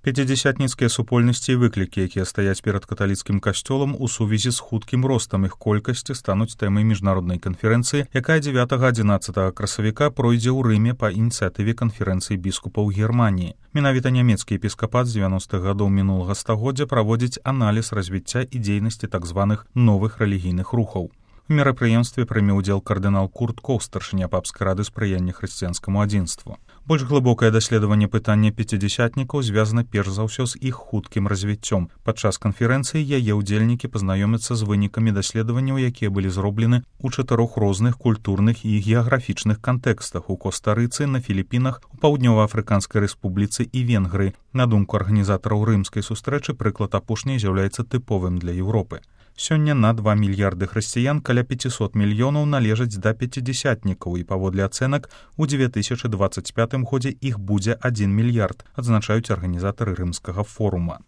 Пяцідзясятніцкія супольнасці і выклікі, якія стаяць перад каталіцкім касцёлам у сувязі з хуткім ростам іх колькасці, стануць тэмай міжнароднай канферэнцыі, якая 9-11 красавіка пройдзе ў Рыме па ініцыятыве канферэнцыі біскупаў Германіі. Менавіта нямецкі епіскапат з 90-х гадоў мінулага стагоддзя праводзіць аналіз развіцця і дзейнасці так званых новых рэлігійных рухаў. У мерапрыемстве прыме ўдзел кардынал Курт Коў, старшыня папскай рады спрыяння хрысціянскаму адзінству. Больш глыбокае даследаванне пытання пяцідзясятнікаў звязана перш за ўсё з іх хуткім развіццём. Падчас канферэнцыі яе ўдзельнікі пазнаёмяцца з вынікамі даследаванняў, якія былі зроблены ў 4 розных культурных і геаграфічных кантэкстах у Коста-Рыцы, на Філіпінах, у Паўднёва-Афрыканскай рэспубліцы і Венгрыі. На думку арганізатараў рымскай сустрэчы, прыклад апошняй з'яўляецца тыповым для Еўропы. Сёння на 2 мільярды хрысціян каля 500 мільёнаў належаць да пяцідзясятнікаў, і паводле ацэнак у 2025 годзе іх будзе 1 мільярд, адзначаюць арганізатары рымскага форума.